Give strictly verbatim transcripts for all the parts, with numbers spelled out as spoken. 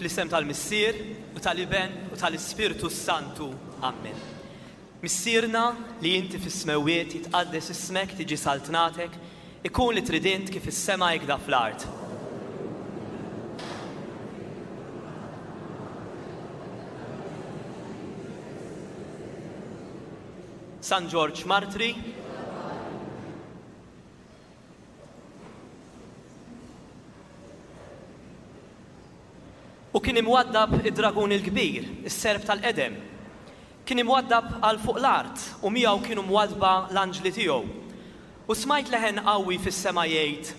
Fl-isem tal-Missier u tal-Iben u tal-Ispirtu Santu. Amen. Missierna li inti fis-smewwiet jitqaddes ismek tiġi saltnatek, ikun li trid int kif is-sema hekk fl-art. San Ġorġ Martri, U kien imwaddab id-dragun il-kbir, is-serp tal-qedem. Kien imwaddab għal fuq l-art u miegħu kienu mwaddba l-anġli tiegħu. U smajt leħen qawwi fis-sema jgħid: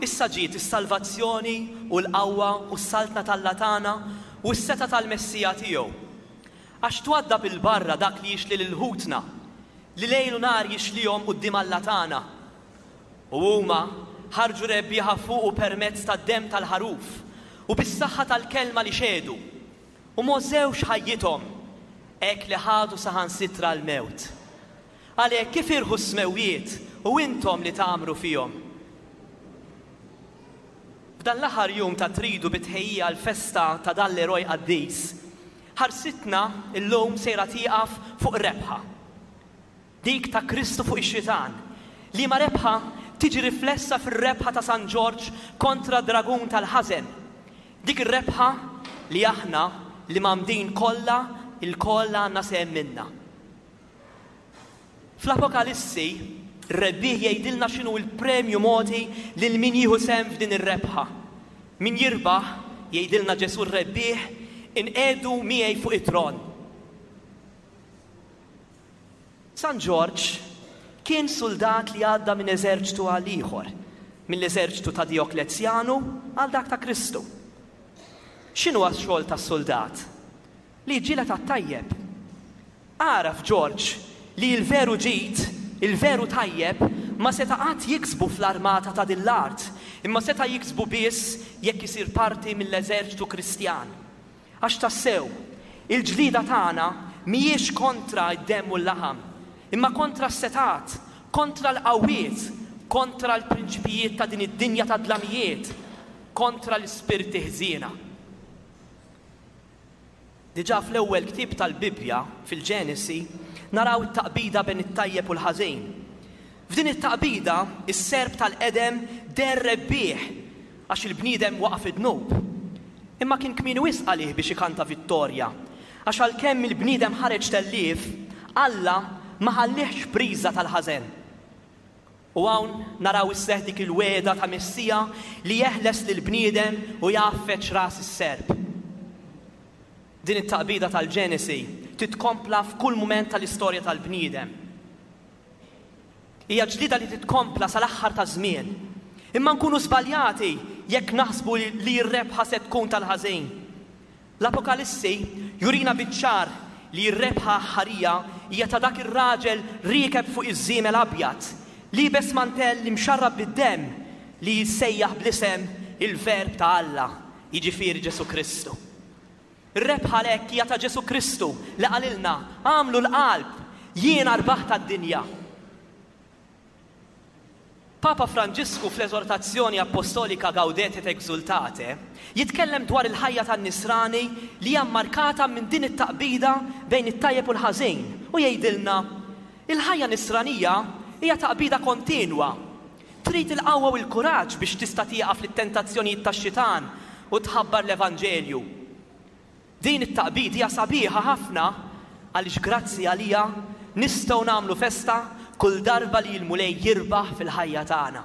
Issa ġiet is-salvazzjoni u l-qawwa u s-saltna t'Alla tagħna u s-setgħa tal-Messija tiegħu. Għax twaddab il-barra dak li jixli lil ħutna, li lejl u nhar jixlihom quddiem Alla tagħna. U huma ħarġu rebbieħa fuqu permezz tad-demm tal-ħaruf u bis-saħħa tal-kelma li xehdu, u m'għożżewx ħajjithom, hekk li ħadu saħansitra l-mewt. Għalhekk kif irħu s-smewwiet u intom li tagħmru fihom. F'dan l-aħħar jum ta' tridu bitħejja l-festa ta' dan l-eroj qaddis, ħarsitna illum sejra tieqaf fuq rebħa. Dik ta' Kristu fuq ix-xitan, liema rebħa tiġi riflessa fir-rebħa ta' San Ġorġ kontra dragun tal-ħażen. Dik ir-rebħa li aħna li mgħammdin kollha il-kollha għandna sehem minna. Fl-Apokalissi, ir-rebbieħ jgħidilna x'inhu l-premju mogħti lil min jieħu sehem f'din ir-rebħa. Min jirbaħ, jgħidilna Ġesù r-rebbieħ, inqiegħdu miegħi fuq it-tron. San Ġorġ kien soldat li għadda minn eżerċtu għal ieħor, mill-eżerċtu ta' Dioklezjanu għal dak ta' Kristu. X'inhu x-xogħol tas-soldat? Li jiġġieled għat-tajjeb. Għaraf Ġorġ li l-veru ġid, il-veru tajjeb, ma seta' qatt jiksbu fl-armata ta' din l-art, imma seta' jiksbu biss jekk isir parti mill-eżerċtu Kristjan. Għax tassew, il-ġlida tagħna mhijiex kontra d-demm u l-laħam, imma kontra s-setat, kontra l-qawwiet, kontra l-prinċipijiet ta' din id-dinja ta' dlamijiet, kontra l-ispirti ħżiena. Diġà fl-ewwel ktieb tal-Bibbja, fil-Ġenesi, naraw it-taqbida bejn it-tajjeb u l-ħażin. F'din it-taqbida, is-serp tal-qedem deher rebbieħ għax il-bniedem waqa' fid-dnub. Imma kien kmieni wisq għalih biex ikanta vittorja, għax għalkemm il-bniedem ħareġ tellief, Alla ma ħallihx priża tal-ħażen. U hawn naraw isseħ dik il-wegħda ta' Messija li jeħles lill-bniedem u jgħaffeġ ras is-serp. Din it-taqbida tal-Ġenesi titkompla f'kull mument tal-istorja tal-bniedem. Hija ġlida li titkompla sal-aħħar ta' żmien. Imma nkunu żbaljati jekk naħsbu li r-rebħa se tkun tal-ħażin. L-Apokalissi jurina biċ-ċar li r-rebħa aħħarija hija ta' dak ir-raġel riekeb fuq iż-żiemel abjad, liebes mantell imxarrab bid-demm li jissejjaħ bl-isem il-Verb ta' Alla, jiġifieri Ġesù Kristu. Ir-rebħa għalhekk hija ta' Ġesù Kristu li qalilna għamlu l-qalb, jiena rbaħt tad-dinja. Papa Franġisku fl-eżortazzjoni apostolika Gaudete et Exultate jitkellem dwar il-ħajja tan-nisrani li hija mmarkata minn din it-taqbida bejn it-tajjeb u l-ħażin u jgħidilna il-ħajja nisranija hija taqbida kontinwa. Trid il-qawwa u l-kuraġġ biex tista' tieqaf lit-tentazzjonijiet tax-xitan u tħabbar l-Evanġelju. Din it-taqbid hija sabiħa ħafna għaliex grazzi għalija nistgħu nagħmlu festa kull darba li l-Mulej jirbaħ fil-ħajja tagħna.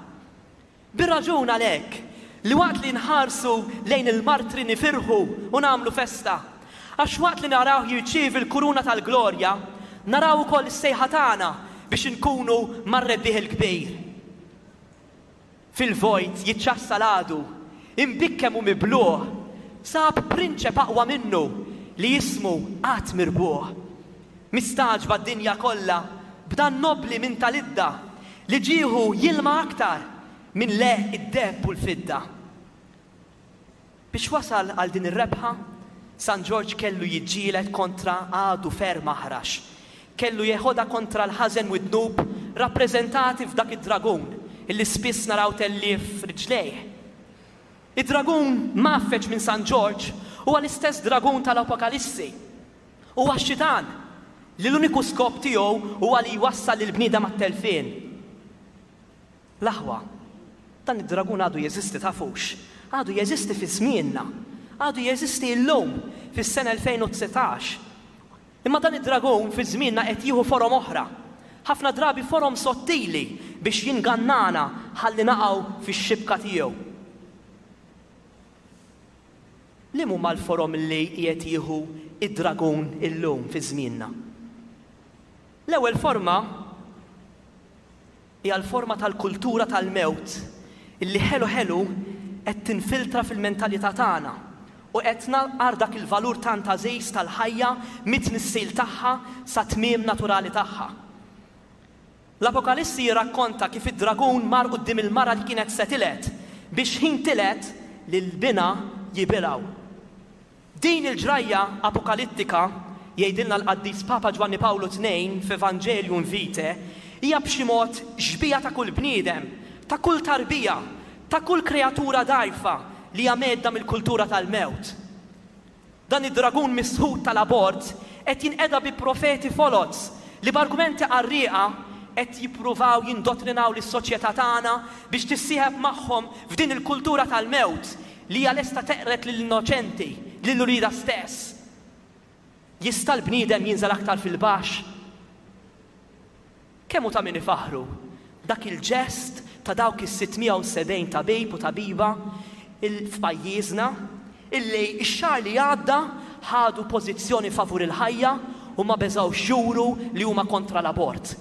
Bir-raġun għalhekk li waqt li nħarsu lejn il-martri nifirħu u nagħmlu festa, għax waqt li naraw jirċievi l-kuruna tal-glorja, naraw ukoll is-sejħa tagħna biex inkunu mar-rebbieħ il-kbir. Fil-vojt jiċċassa l-għadu, imbikkem u mibluh, sab prinċep aqwa minnu li jismu qatt mirbuħ. Mistaġba d-dinja kollha b'dan nobli minn tal-idda li ġieħu jilma aktar minn le id-deheb u l-fidda. Biex wasal għal din ir-rebħa, San Ġorġ kellu jiġġieled kontra għadu ferm aħrax. Kellu jeħodha kontra l-ħażen u d-dnub rappreżentati f'dak id-dragun illi spiss naraw tellief riġlejh. Id-dragun mgħaffeġ minn San Ġorġ Huwa l-istess dragun tal-Apokalissi. Huwa x-xitan li l-uniku skop tiegħu huwa li jwassal lill-bniedem għat-telfien. L-aħwa, dan id-dragun għadu jeżisti, tafux. Għadu jeżisti fi żmienna. Għadu jeżisti llum fis-sena elfejn u dsatax. Imma dan id-dragun fi żmienna qed jieħu forom oħra. Ħafna drabi forom sottili biex jingannana ħalli naqgħu fix-xibka tiegħu. Liema huma l-forom li qiegħed jieħu id-dragun illum fi żmienna? L-ewwel forma hija l-forma tal-kultura tal-mewt illi ħelu ħelu qed tinfiltra fil-mentalità tagħna u qed naqar dak il-valur tant għażiż tal-ħajja mit-tnissil tagħha sa tmiem naturali tagħha. L-Apokalissi jirrakkonta kif id-dragun mar quddiem il-mara li kienet se tiled biex ħin tiled lil binha jibilgħu. Din il-ġrajja apokalittika, jgħidilna l-Qaddis Papa Ġwanni Pawlu tnejn f'Evangelium Vitae, hija b'xi mod xbieha ta' kull bniedem, ta' kull tarbija, ta' kull kreatura dgħajfa li hija medda mill-kultura tal-mewt. Dan id-dragun misħut tal-abort qed jinqeda bi profeti foloz li b'argumenti qarrieqa qed jippruvaw jindottrinaw lis-soċjetà tagħna biex tissieħeb magħhom f'din il-kultura tal-mewt li hija lesta teqred lill-innoċenti, lil uliedha stess. Jista' l-bniedem jinżel aktar fil-baxx? Kemm hu ta' min ifaħru dak il-ġest ta' dawk is-sitt mija u sebgħin tabib u tabiba f'pajjiżna illi x-xahar li għadda ħadu pożizzjoni favur il-ħajja u ma beżgħux juru li huma kontra l-abort.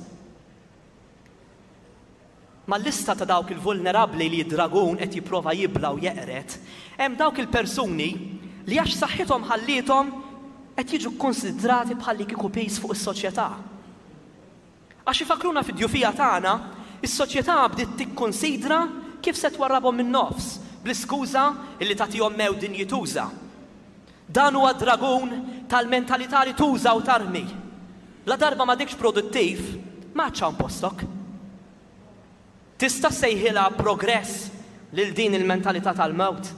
Mal-lista ta' dawk il-vulnerabbli li d-dragun qed jipprova jibla u jeqred, hemm dawk il-persuni li għax saħħithom ħalliethom qed jiġu kkonsidrati bħalli kieku piż fuq is-soċjetà. Għax ifakruna fid-djufija tagħna, is-soċjetà bdiet tikkonsidra kif se twarrabhom min-nofs bl-iskuża illi tagħtihom mewt dinjituża. Dan huwa dragun tal-mentalità li tuża u tarmi. La darba ma dikx produttiv, ma għadx hawn postok. Tista' sejħilha progress lil din il-mentalità tal-mewt.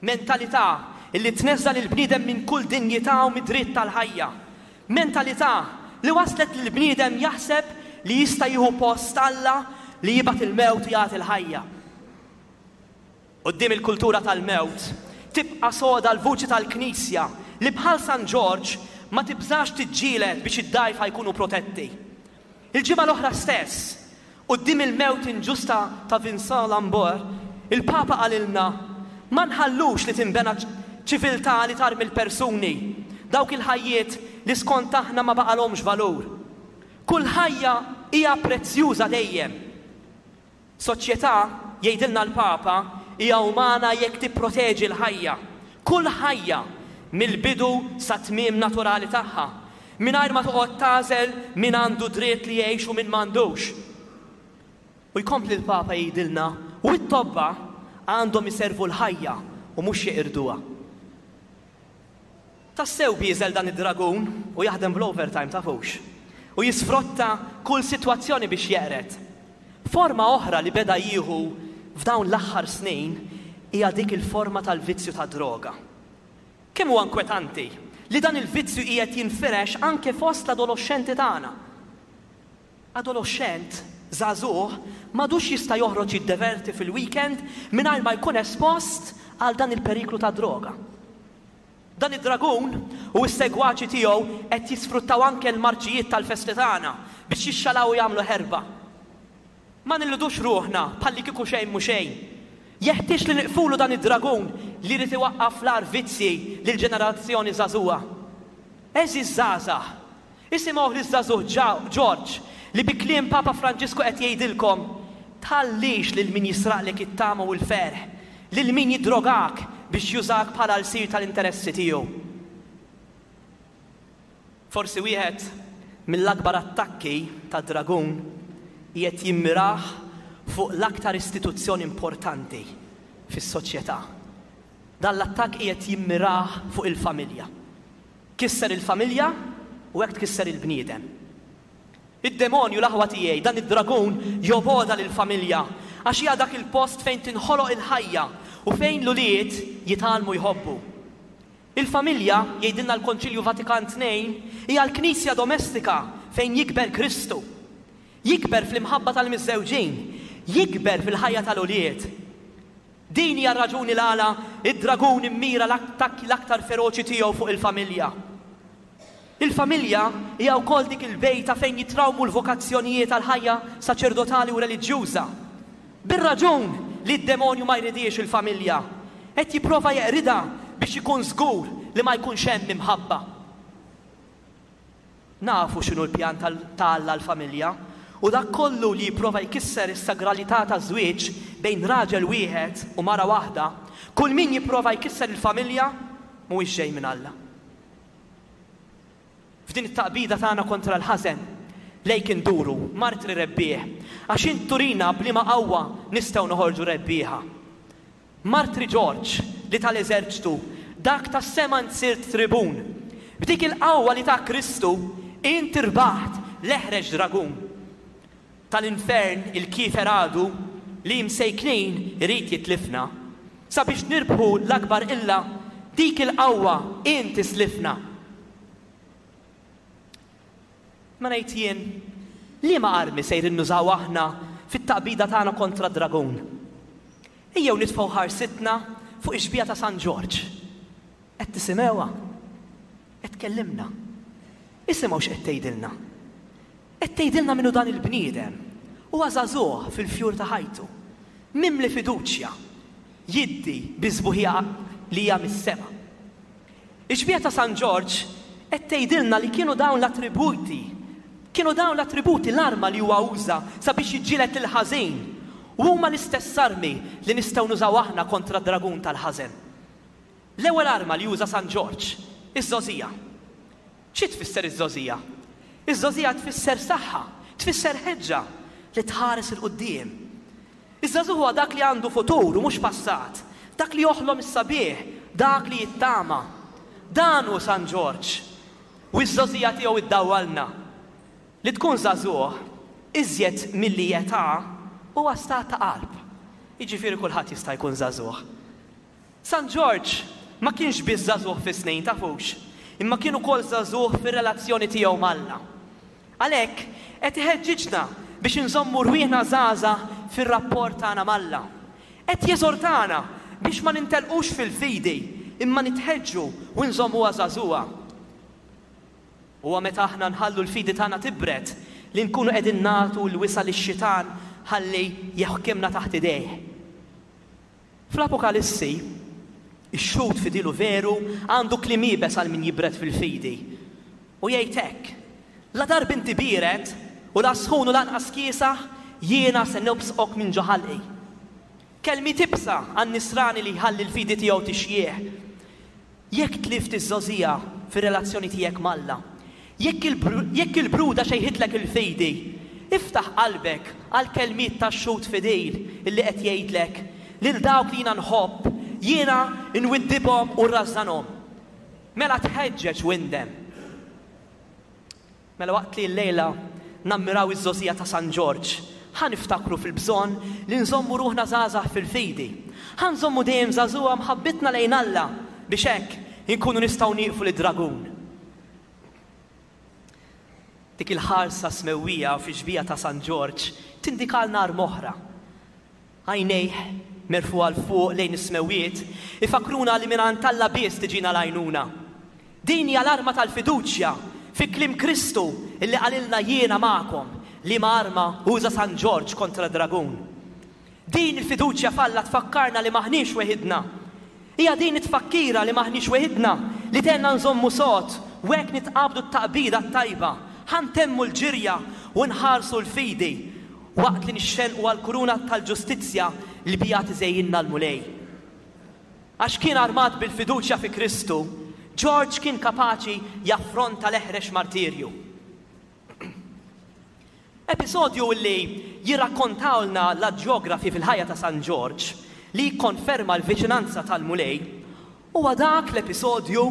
Mentalità illi tneżża' lill-bniedem minn kull dinjità u mid-dritt tal-ħajja. Mentalità li waslet lill-bniedem jaħseb li jista' jieħu post Alla li jibgħat il-mewt u jagħti l-ħajja. Quddiem il-kultura tal-mewt tibqa' soda l-vuċi tal-Knisja li bħal San Ġorġ ma tibżax tiġġieled biex id-dgħajfa jkunu protetti. Il-ġimgħa l-oħra stess, quddiem il-mewt inġusta ta' Vincent Lambert, il-Papa qalilna ma nħallux li tinbena ċiviltà li tarmi l-persuni, dawk il-ħajjiet li skont aħna ma baqalhomx valur. Kull ħajja hija prezzjuża dejjem. Soċjetà, jgħidilna l-Papa, hija umana jekk tipproteġi l-ħajja. Kull ħajja mill-bidu sa tmiem naturali tagħha, mingħajr ma toqgħod tagħżel min għandu dritt li jgħix u min m'għandux. U jkompli l-Papa jgħidilna, u t-tobba għandhom iservu l-ħajja u mhux jeqirduha. Tassew bieżel dan id-dragun u jaħdem bl-overtime, tafux. U jisfrotta kull sitwazzjoni biex jeqred. Forma oħra li beda jieħu f'dawn l-aħħar snin hija dik il-forma tal-vizzju ta' droga. Kemm huwa inkwetanti li dan il-vizzju qiegħed jinfirex anke fost l-adolescenti tagħna. Adolescent żagħżugħ m'għadux jista' joħroġ jiddeverti fil-weekend mingħajr ma jkun espost għal dan il-periklu ta' droga. Dan id-dragun u s-segwaċi tiegħu qed jisfruttaw anke l-marċijiet tal-festi tagħna biex jixxalaw u jagħmlu ħerba. Ma nilludux ruħna bħalli kieku xejn mhu xejn. Jeħtieġ li niqfulu dan id-dragun li jrid iwaqqaf l-agħar vizzji lill-ġenerazzjoni żagħżugħa. Għeżież żgħażagħ, isimgħu liż-żagħżugħ Ġorġ li bi kliem Papa Franġisku qed jgħidilkom, tħallix lil min jisraqlek it-tama u l-ferħ, lil min jidrogak biex jużak bħala l-sir tal-interessi tiegħu. Forsi wieħed mill-akbar attakki tad-dragun qiegħed jimmirah fuq l-aktar istituzzjoni importanti fis-soċjetà. Dan l-attakk qiegħed jimmirah fuq il-familja. Kisser il-familja u hekk tkisser il-bniedem. Id-demonju, l-aħwa tiegħi, dan id-dragun joboda lill-familja għax hija dak il-post fejn tinħoloq il-ħajja u fejn l-ulied jitgħallmu jħobbu. Il-familja, jgħidilna l-Konċilju Vatikan tnejn, hija l-knisja domestika fejn jikber Kristu. Jikber fl-imħabba tal-miżżewġin, jikber fil-ħajja tal-ulied. Din hija r-raġuni l-għala id-dragun immira l-attakki l-aktar feroċi tiegħu fuq il-familja. Il-familja hija wkoll dik il-bejta fejn jitrawmu l-vokazzjonijiet għal-ħajja saċerdotali u reliġjuża. Bir-raġun li d-demonju ma jridix il-familja, qed jipprova jeqridha biex ikun żgur li ma jkunx hemm imħabba. Nafu x'inhu l-pjan ta' Alla l-familja, u dak kollu li jipprova jkisser is-sagralità taż-żwieġ bejn raġel wieħed u mara waħda, kull min jipprova jkisser il-familja mhuwiex ġej minn Alla. F'din it-taqbida tagħna kontra l-ħażen, lejk induru, martri rebbieħ, għax int turina b'liema qawwa nistgħu noħorġu rebbieħa. Martri Ġorġ li tal-eżerċtu, dak tas-sema int sirt tribun. B'dik il-qawwa li ta' Kristu, int irbaħt l-eħreġ dragun. Tal-infern il-kiefer għadu li msejknin irid jitlifna. Sabiex nirbħu l-akbar illa, dik il-qawwa int islifna. Ma ngħid jien, liema armi sejrin nużaw aħna fit-taqbida tagħna kontra dragun? Ejjew nitfgħu ħarsitna fuq ix-xbieha ta' San Ġorġ. Qed tisimgħuha? Qed tkellimna. Isimgħu x'qed tgħidilna. Qed tgħidilna minnu dan il-bniedem. Huwa żagħżugħ fil-fjur ta' ħajtu, mimli fiduċja, jiddi bi sbuħija li hija mis-sema. Ix-xbieha ta' San Ġorġ qed tgħidilna li kienu dawn l-attributi, kienu dawn l-attributi l-arma li huwa uża sabiex jiġġieled il-ħażin. U huma l-istess armi li nistgħu nużaw aħna kontra d-dragun tal-ħażen. L-ewwel arma li juża San Ġorġ, iż-żgħożija. Xi tfisser iż-żgħożija? Iż-żgħożija tfisser saħħa, tfisser ħeġġa li tħares 'il quddiem. Iż-żagħżugħ huwa dak li għandu futur u mhux passat, dak li joħlom is-sabiħ, dak li jittama. Dan hu San Ġorġ. U ż-żgħożija tiegħu iddawwalna. Li tkun żagħżugħ iżjed milli età huwa stat ta' qalb. Jiġifieri kulħadd jista' jkun żagħżugħ. San Ġorġ ma kienx biss żagħżugħ fis-snin, tafux, imma kien ukoll żagħżugħ fir-relazzjoni tiegħu m'Alla. Għalhekk qed iħeġġiġna biex inżommu rwieħna żgħażagħ fir-rapport tagħna m'Alla. Qed jeżortana biex ma nintelqux fil-fidi, imma nitħeġġu u nżommuha żagħżugħa. Huwa meta aħna nħallu l-fidi tagħna tibred li nkunu qegħdin nagħtu l-wisa' lix-xitan ħalli jaħkimna taħt idejh. Fl-Apokalissi, ix-xhud fidilu veru għandu kliem iebes għal min jibred fil-fidi. U jgħid hekk: la darba inti biered u la sħun u lanqas kiesaħ, jiena se nobsqok minn ġo ħalqi. Kelmiet iebsa għan-nisrani li jħalli l-fidi tiegħu tixjieħ. Jekk tlift iż-żgħożija fir-relazzjoni tiegħek m'Alla, jekk il-bruda xejħitlek il-fidi, iftaħ qalbek għal kelmiet tax-xhud fidil illi qed jgħidlek lil dawk li jiena nħobb, jiena nwiddibhom u rrażżanhom. Mela tħeġġeġ u indem. Mela waqt li llejla nammiraw iż-żgħożija ta' San Ġorġ, ħa niftakru fil-bżonn li nżommu ruħna żgħażagħ fil-fidi. Ħa nżommu dejjem żagħżugħa mħabbitna lejn Alla biex hekk inkunu nistgħu nieqfu lid-dragun. Dik il-ħarsa smewwija fi xbieha ta' San Ġorġ tindikalna arma oħra. Għajnejh merfugħa 'l fuq lejn is-smewwiet ifakruna li mingħand Alla biss tiġina l-għajnuna. Din hija l-arma tal-fiduċja fi kliem Kristu illi qalilna jiena magħkom, liema arma uża San Ġorġ kontra dragun. Din il-fiduċja f'Alla tfakkarna li maħniex weħidna. Hija din it-tfakkira li maħniex weħidna li tgħinna nżommu sod u hekk nitqabdu t-taqbida t-tajba, ħa ntemmu l-ġirja u nħarsu l-fidi waqt li nixxenqu għall-kuruna tal-ġustizzja li biha tiżejjinna l-Mulej. Għax kien armat bil-fiduċja fi Kristu, Ġorġ kien kapaċi jaffronta l-eħrex martirju. Episodju li jirrakkontawlna l-ġeografi fil-ħajja ta' San Ġorġ li jikkonferma l-viċinanza tal-Mulej huwa dak l-episodju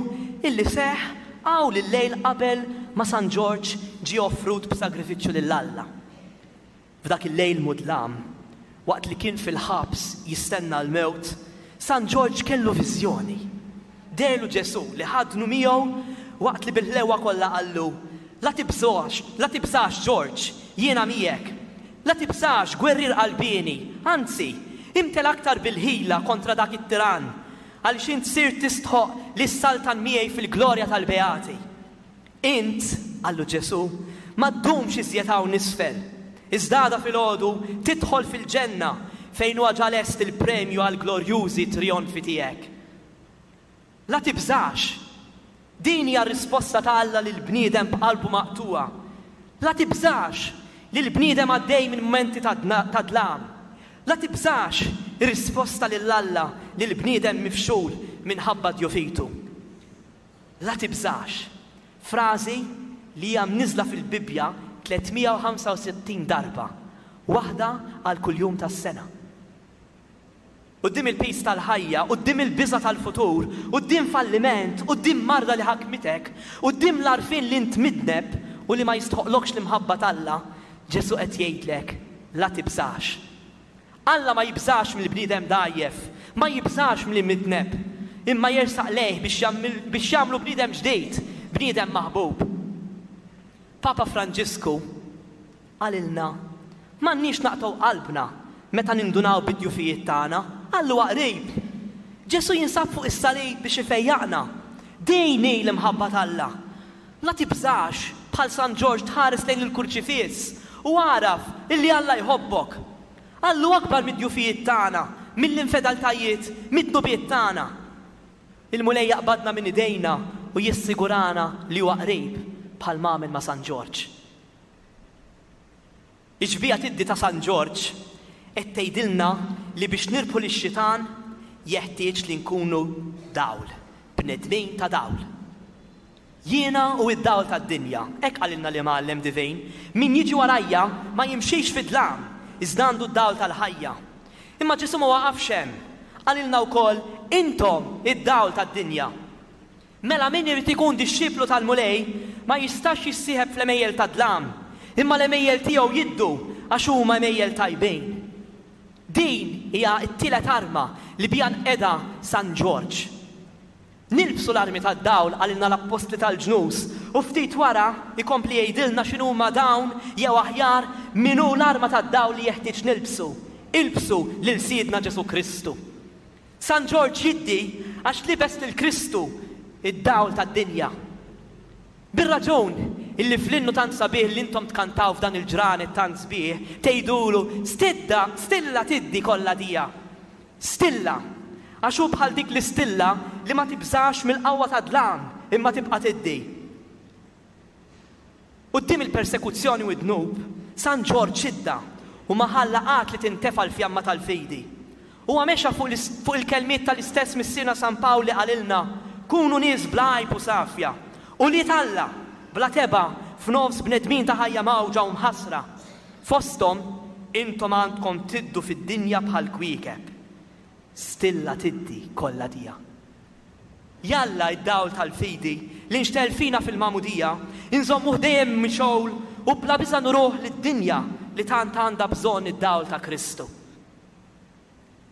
illi seħ hawn il-lejl qabel ma San Ġorġ ġie offrut b'sagrifiċċju lil Alla. F'dak il-lejl mudlam, waqt li kien fil-ħabs jistenna l-mewt, San Ġorġ kellu viżjoni. Deherlu Ġesù li ħadnu miegħu waqt li bil-ħlewa kollha qallu, La tibżax, la tibżax Ġorġ, jiena miegħek. La tibżax gwerrier qalbieni, anzi, imtela aktar bil-ħila kontra dak it-tirann, għaliex int sirt tistħoqq li ssaltan miegħi fil-glorja tal-beati. Int, qallu Ġesù, ma ddumx iżjed hawn isfel, iżda għada filgħodu tidħol fil-ġenna fejn huwa ġa lest il-premju għall-glorjużi trijonfi tiegħek. La tibżax! Din hija r-risposta ta' Alla lill-bniedem b'qalbu maqtugħa. La tibżax lil bniedem għaddej minn mumenti ta' dlam. La tibżax ir-risposta lil Alla lil bniedem mifxul minħabba djufitu. La tibżax. Frażi li hija mniżżla fil-Bibbja tliet mija u ħamsa u sittin darba, waħda għal kull jum tas-sena. Quddiem il-piż tal-ħajja, quddiem il-biża' tal-futur, quddiem falliment, quddiem marda li ħakmitek, quddiem l-għarfien li int midneb u li ma jistħoqlokx l-imħabba t'Alla, Ġesù qed jgħidlek, la tibżax. Alla ma jibżax mill-bniedem dgħajjef, ma jibżax mill-midneb, imma jersaq lejh biex jagħmlu bniedem ġdid, bniedem maħbub. Papa Franġisku qalilna, m'għandniex naqtgħu qalbna meta nindunaw bid-djufijiet tagħna, Alla huwa qrib. Ġesù jinsab fuq is-salib biex ifejjaqna. Din hi l-imħabba t'Alla. La tibżax, bħal San Ġorġ tħares lejn il-kurċifiss u agħraf illi Alla jħobbok. Alla hu akbar mid-djufijiet tagħna, mill-infedeltajiet, mid-dnubiet tagħna. Il-Mulej jaqbadna minn idejna u jissigurana li huwa qrib bħal ma għamel ma' San Ġorġ. Ix-xbieha tiddi ta' San Ġorġ qed tgħidilna li biex nirbħu lix-xitan jeħtieġ li nkunu dawl, bnedmin ta' dawl. Jiena hu d-dawl tad-dinja, hekk qalilna l-Imgħallem Divin, min jiġi warajja ma jimxix fid-dlam, iżda għandu d-dawl tal-ħajja. Imma Ġesù ma waqafx hemm, qalilna wkoll intom id-dawl tad-dinja. Mela min irid ikun dixxiplu tal-Mulej ma jistax jissieħeb fl-għemejjel tad-dlam, imma l-għemejjel tiegħu jiddu għax huma għemejjel tajbin. Din hija t-tielet arma li biha nqeda San Ġorġ. Nilbsu l-armi tad-dawl qalilna l-Appostli tal-ġnus u ftit wara jkompli jgħidilna x'inhuma dawn jew aħjar min hu l-arma tad-dawl li jeħtieġ nilbsu. Ilbsu lil Sidna Ġesù Kristu. San Ġorġ jiddi għax libes lil Kristu id-dawl tad-dinja. Bir-raġun illi fl-innu tant sabiħ li intom tkantaw f'dan il-ġranet tant sbieħ tgħidulu stidda, stilla tiddi kollha dija. Stilla, għax hu bħal dik l-istilla li ma tibżax mill-qawwa tad-dlam imma tibqa' tiddi. Quddiem il-persekuzzjoni u d-dnub, San Ġorġ idda u ma ħalla qatt li tintefa' l-fjamma tal-fidi. Huwa mexa fuq il-kelmiet tal-istess Missierna San Pawl li qalilna, kunu nies bla għajb u safja, ulied Alla, bla tebgħa f'nofs bnedmin ta' ħajja mgħawġa u mħassra. Fosthom, intom għandkom tiddu fid-dinja bħal kwiekeb. Stilla tiddi kollha dija. Jalla id-dawl tal-fidi li nxtegħel fina fil-magħmudija, inżommuh dejjem mixgħul u bla biża' nuruh lid-dinja li tant għandha bżonn id-dawl ta' Kristu.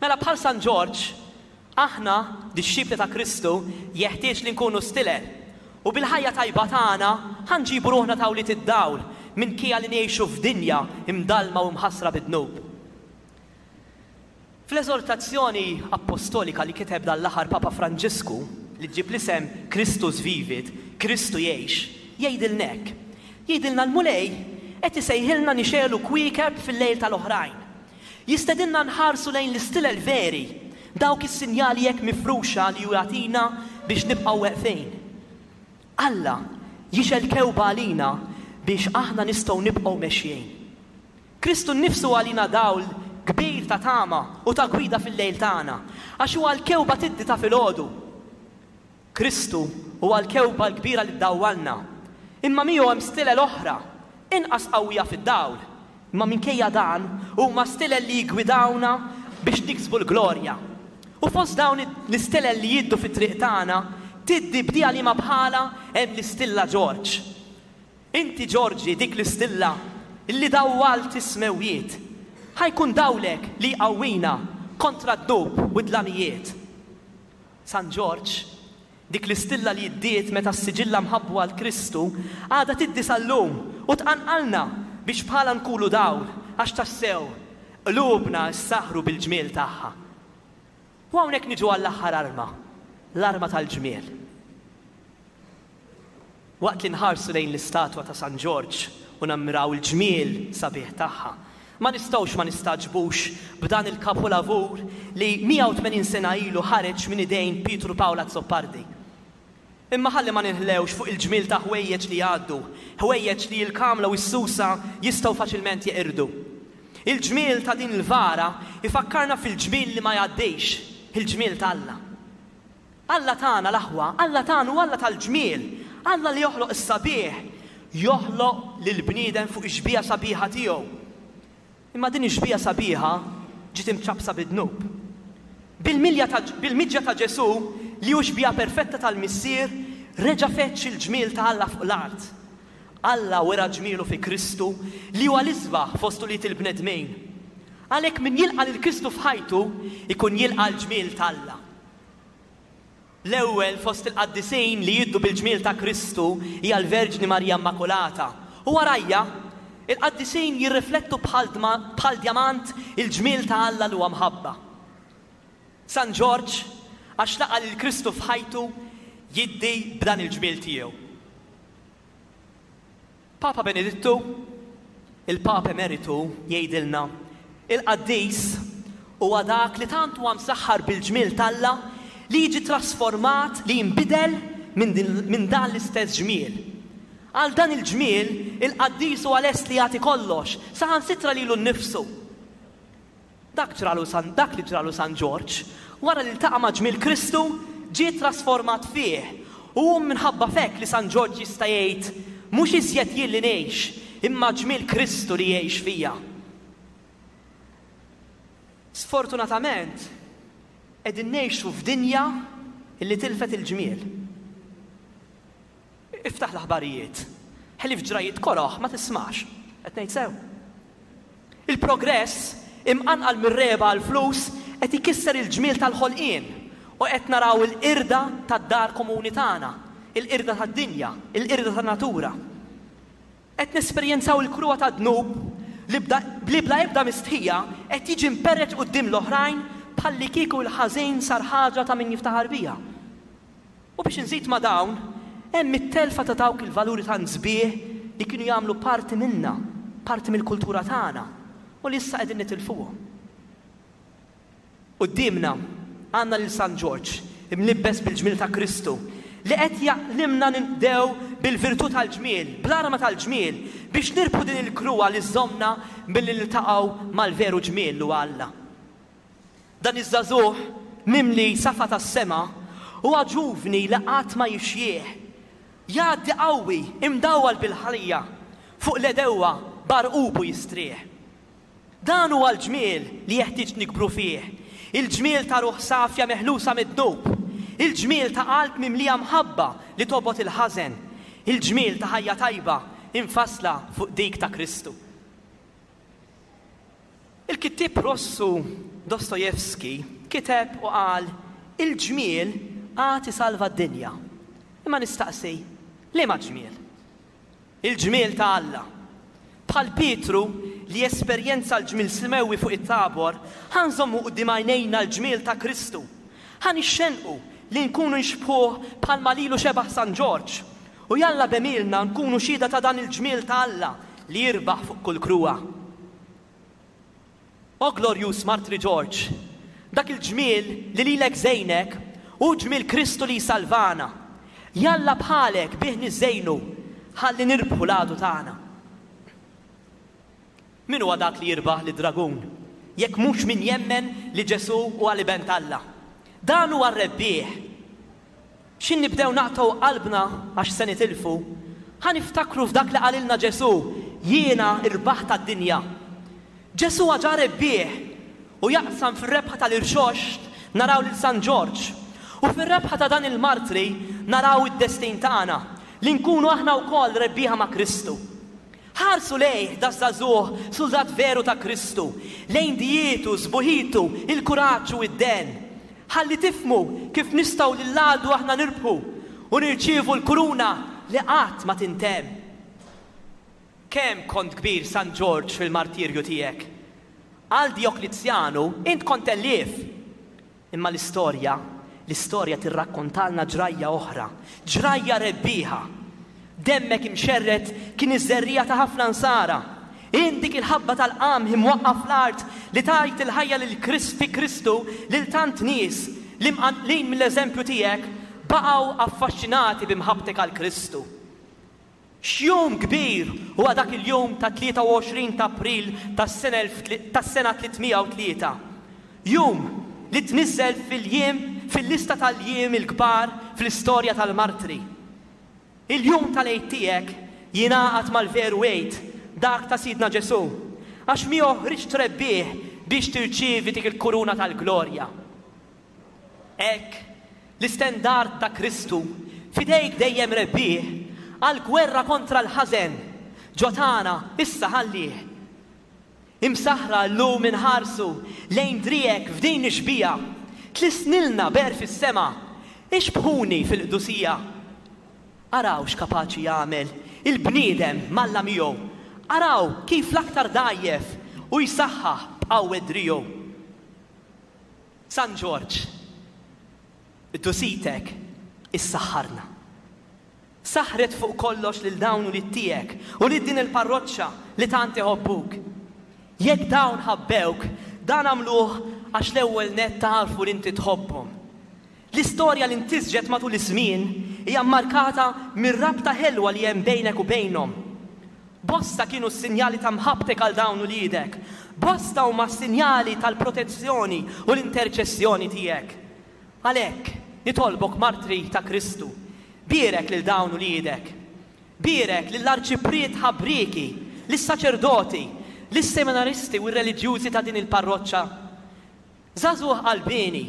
Mela bħal San Ġorġ, aħna, dixxipli ta' Kristu, jeħtieġ li nkunu stilel u bil-ħajja tajba tagħna ħa nġibu ruħna ta' wlied id-dawl minkejja li ngħixu f'dinja imdallma u mħassra bid-dnub. Fl-eżortazzjoni appostolika li kiteb dan l-aħħar Papa Franġisku, li ġġib l-isem Christus Vivit, Kristu jgħix, jgħidilna hekk. Jgħidilna l-Mulej qed isejħilna nixegħlu kwiekeb fil-lejl tal-oħrajn. Jistedinna nħarsu lejn l-istilel veri, dawk is-sinjali hekk mifruxa li hu jagħtina biex nibqgħu weqfin. Alla jixgħel kewba għalina biex aħna nistgħu nibqgħu mexjin. Kristu nnifsu għalina dawl kbir ta' tama u ta' gwida fil-lejl tagħna, għax huwa l-kewba tiddi ta' filgħodu. Kristu huwa l-kewba l-kbira li ddawwalna, imma miegħu hemm stilel oħra, inqas qawwija fid-dawl, imma minkejja dan huma stilel li jiggwidawna biex niksbu l-glorja. U fost dawn l-istilel li jiddu fit-triq tagħna, tiddi bdieha liema bħala hemm l-istilla Ġorġ. Inti Ġorġi dik l-istilla li dawwalt is-smewwiet, ħa jkun dawlek li jqawwina kontra d-dnub u d-dlamijiet. San Ġorġ Dik l-istilla li ddiet meta ssiġilla mħabbu għal Kristu għadha tiddi sal-lum u tqanqalna biex bħala nkunu dawl, għax tassew qlubna ssaħħru bil-ġmiel tagħha. U hawnhekk niġu għall-aħħar arma, l-arma tal-ġmiel. Waqt li nħarsu lejn l-istatwa ta' San Ġorġ u nammiraw il-ġmiel sabiħ tagħha, ma nistgħux ma nistagħġbux b'dan il-kapolavur li mija u tmenin sena ilu ħareġ minn idejn Pietru Pawl Azzopardi. Imma ħalli ma ninħlewx fuq il-ġmiel ta' ħwejjeġ li jgħaddu, ħwejjeġ li l-kamla u s-susa jistgħu faċilment jeqirdu. Il-ġmiel ta' din il-vara ifakkarna fil-ġmiel li ma jgħaddix, il-ġmiel ta' Alla. Alla tagħna l-aħwa, Alla tagħna u Alla tal-ġmiel, Alla li joħloq is-sabiħ, joħloq lill-bniedem fuq ix-xbieha sabiħa tiegħu. Imma din ix-xbieha sabiħa ġiet imċappsa bid-dnub. Bil-milja ta' bil-miġja ta' Ġesù, li hu xbieha perfetta tal-Missier, reġa' feċ il-ġmiel ta' Alla fuq l-art. Alla wera ġmielu fi Kristu li huwa l-isbaħ fost ulied il-bnedmin. Għalhekk min jilqa' lil Kristu f'ħajtu ikun jilqa' l-ġmiel ta' Alla. L-ewwel fost il-qaddisin li jiddu bil-ġmiel ta' Kristu hija l-Verġni Marija Immakulata. U warajja, il-qaddisin jirriflettu bħal dma-, bħal djamant il-ġmiel ta' Alla li huwa mħabba. San Ġorġ, għax laqa' lil Kristu f'ħajtu, jiddi b'dan il-ġmiel tiegħu. Papa Benedittu, il-Papa Emeritu, jgħidilna, il-qaddis huwa dak li tant huwa msaħħar bil-ġmiel t'Alla li jiġi trasformat, li jinbidel minn din, minn dan l-istess ġmiel. Għal dan il-ġmiel, il-qaddis huwa lest li jagħti kollox, saħansitra lilu nnifsu. Dak ġralu San, dak li ġralu San Ġorġ, wara li ltaqa' ma' ġmiel Kristu, ġie trasformat fih. U hu minħabba f'hekk li San Ġorġ jista' jgħid, mhux iżjed jien li ngħix, imma ġmiel Kristu li jgħix fija. Sfortunatament, qegħdin ngħixu f'dinja li tilfet il-ġmiel. Iftaħ l-aħbarijiet, ħlief ġrajiet koroħ ma tismax, qed ngħid sew. Il-progress imqanqal mir-reba għall-flus qed ikisser il-ġmiel tal-ħolqien u qed naraw il-qirda tad-dar komuni tagħna, il-qirda tad-dinja, il-qirda tan-natura. Qed nesperjenzaw il-kruha tad-dnub li bda, li bla ebda mistħija qed jiġi mperreġ quddiem l-oħrajn bħalli kieku l-ħażin sar ħaġa ta' min jiftaħar biha. U biex nżid ma' dawn, hemm it-telfa ta' dawk il-valuri ta' sbieħ li kienu jagħmlu parti minna, parti mill-kultura tagħna, u li issa qegħdin nitilfuhom. Quddiemna għandna lil San Ġorġ, imlibbes bil-ġmiel ta' Kristu, li qed jgħallimna ninqdew bil-virtù tal-ġmiel, bl-arma tal-ġmiel, biex nirbħu din il-kruha li żżommna milli niltaqgħu mal-veru ġmiel li huwa Alla. Dan iż-żagħżugħ mimli safa tas-sema huwa ġuvni li qatt ma jixjieħ. Jgħaddi qawwi imdawwal bil-ħalija fuq l-edewwa barqubu jistrieħ. Dan huwa l-ġmiel li jeħtieġ nikbru fih, il-ġmiel ta' ruħ safja meħlusa mid-dnub, il-ġmiel ta' qalb mimlija mħabba li tobgħod il-ħażen, il-ġmiel ta' ħajja tajba infassla fuq dik ta' Kristu. Il-kittieb Russu Dostojevski kiteb u qal, il-ġmiel għad isalva d-dinja. Imma nistaqsi, liema ġmiel? Il-ġmiel ta' Alla. Bħal Pietru li esperjenza l-ġmiel smewwi fuq it-Tabor, ħa nżommu quddiem għajnejna l-ġmiel ta' Kristu. Ħa nixxenqu li nkunu nxbħuh bħalma lilu xebaħ San Ġorġ. U jalla b'għemilna nkunu xhieda ta' dan il-ġmiel ta' Alla li jirbaħ fuq kull kruha. O glorjus Martri George, dak il-ġmiel li lilek żejnek hu ġmiel Kristu li jsalvana. Jalla bħalek bih niżejnu ħalli nirbħu l-għadu tagħna. Min huwa dak li jirbaħ lid-dragun? Jekk mhux min jemmen li Ġesù huwa l-Iben t'Alla. Dan huwa r-rebbieħ. X'in nibdew naqtgħu qalbna għax se nitilfu, ħa niftakru f'dak li qalilna Ġesù, jiena rbaħt tad-dinja. Ġesù ġa rebbieħ u jaqsam fir-rebħa tal-irxoxt naraw lil San Ġorġ. U fir-rebħa ta' dan il-martri naraw id-destin tagħna li nkunu aħna wkoll rebbieħa ma' Kristu. Ħarsu lejh daż-żagħżugħ suldat veru ta' Kristu, lejn dijietu, sbuħitu, il-kuraġġ u id-den. Ħalli tifhmu kif nistgħu lill-għadu aħna nirbħu u nirċievu l-kuruna li qatt ma tintemm. Kemm kont kbir, San Ġorġ, fil-martirju tiegħek. Għal Djoklizjanu int kont tellief. Imma l-istorja, l-istorja tirrakkontalna ġrajja oħra, ġrajja rebbieħa. Demmek imxerred kien iż-żerriegħa ta' ħafna nsara. Int dik il-ħabba tal-qamħ imwaqqa' fl-art li tajt il-ħajja lil fi Kristu lil tant nies li mqanqlin mill-eżempju tiegħek baqgħu affaxxinati b'imħabbtek għal Kristu. X'jum kbir huwa dak il-jum ta' tlieta u għoxrin ta' April tas-sena tliet mija u tlieta. Jum li tniżel fil-jiem fil-lista tal-jiem il-kbar fl-istorja tal-martri. Il-jum tal-Għid tiegħek jingħaqad mal-veru Għid, dak ta' Sidna Ġesù, għax miegħu ħriġt rebbieħ biex tirċievi dik il-kuruna tal-glorja. Hekk, l-istendard ta' Kristu f'idejk dejjem rebbieħ għal gwerra kontra l-ħażen, ġo tagħna issa ħallih. Imsaħħra llum inħarsu lejn driegħek f'din ix-xbieha, tlissnilna b'għerf is-sema, ixbhuni fil-qdusija. Araw x'kapaċi jagħmel il-bniedem m'Alla miegħu. Araw kif l-aktar dgħajjef u jsaħħaħ b'qawwet driegħu. San Ġorġ, qdusitek issaħħarna. Saħħret fuq kollox lil dawn ulied tiegħek u lil din il-parroċċa li tant iħobbuk. Jekk dawn ħabbewk, dan għamluh għax l-ewwel nett għarfu li inti tħobbhom. L-istorja li ntisġet matul iż-żmien hija markata mir-rabta ħelwa li hemm bejnek u bejnhom. Bosta kienu s-sinjali ta' mħabbtek għal dawn uliedek. Bosta huma s-sinjali tal-protezzjoni u l-interċessjoni tiegħek. Għalhekk, nitolbok, martri ta' Kristu, bierek lil dawn uliedek. Bierek lill-arċipriet ħabrieki, lis-saċerdoti, lis-seminaristi u r-reliġjużi ta' din il-parroċċa. Żagħżugħ qalbieni,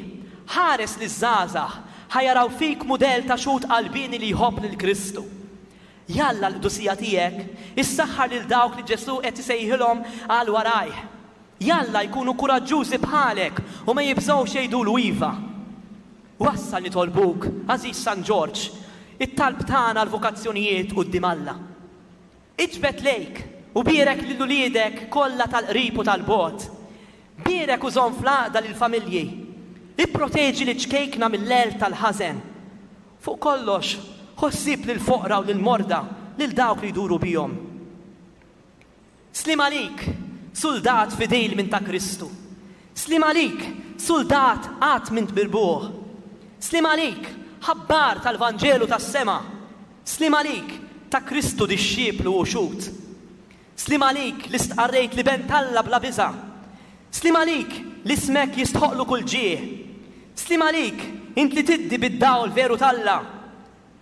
ħares liż-żgħażagħ ħa jaraw fik mudell ta' xhud qalbieni li jħobb lil Kristu. Jalla l-qdusija tiegħek issaħħar lil dawk li Ġesù qed isejħilhom għal warajh. Jalla jkunu kuraġġużi bħalek u ma jibżgħux jgħidulu iva. Wassal, nitolbuk, għażiż San Ġorġ, it-talb tagħna l-vokazzjonijiet quddiem Alla. Iġbed lejk u bierek lil uliedek kollha tal-qrib u tal-bogħod. Bierek u żomm fl-għaqda lill-familji. Ipproteġi liċ-ċkejkna mill-għerq tal-ħażen. Fuq kollox, ħu ħsieb lill-foqra u lill-morda, lil dawk li jduru bihom. Sliem għalik, suldat fidil minn ta' Kristu. Sliem għalik, suldat qatt m'int mirbuħ. Sliem għalik, ħabbar tal-Vanġelu tas-sema. Sliem għalik, ta' Kristu dixxiplu u xhud. Sliem għalik li stqarrejt l-Iben t'Alla bla biża'. Sliem għalik li ismek jistħoqqlu kull ġieħ. Sliem għalik, int li tiddi bid-dawl veru t'Alla.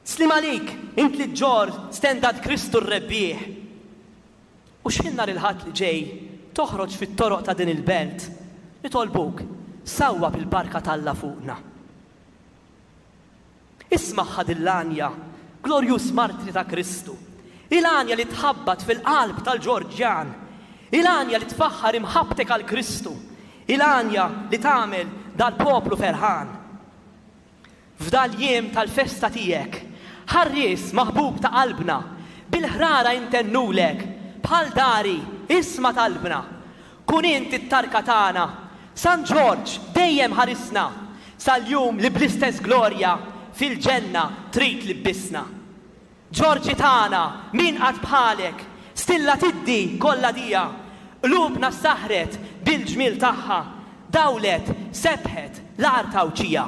Sliem għalik, int li ġġorr stendard Kristu r-rebbieħ. U x'ħin nhar il-Ħadd li ġej toħroġ fit-toroq ta' din il-belt, nitolbuk, sawwab il-barka t'Alla fuqna. Ismagħha dil-għanja, glorjuż martri ta' Kristu, il-għanja li tħabbat fil-qalb tal-Ġorġjan, il-għanja li tfaħħar imħabbtek għal Kristu, il-għanja li tagħmel dal-poplu ferħan. F'dal-jiem tal-festa tiegħek, ħarries maħbub ta' qalbna, bil-ħrara intennulek, bħal dari, isma' talbna. Kun int it-tarka tagħna, San Ġorġ dejjem ħarisna, sal-jum li bl-istess glorja fil-ġenna trid tlibbisna. Ġorġi tagħna, min qatt bħalek, stilla tiddi kollha dija, qlubna saħret bil-ġmiel tagħha, dawlet, sebħet l-art Għawdxija.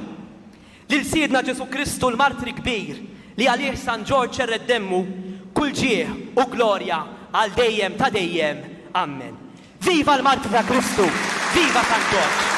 Lil Sidna Ġesù Kristu l-martri kbir li għalih San Ġorġ xerred demmu, kull ġieħ u glorja għal dejjem ta' dejjem. Amen. Viva l-martri ta' Kristu! Viva San Ġorġ!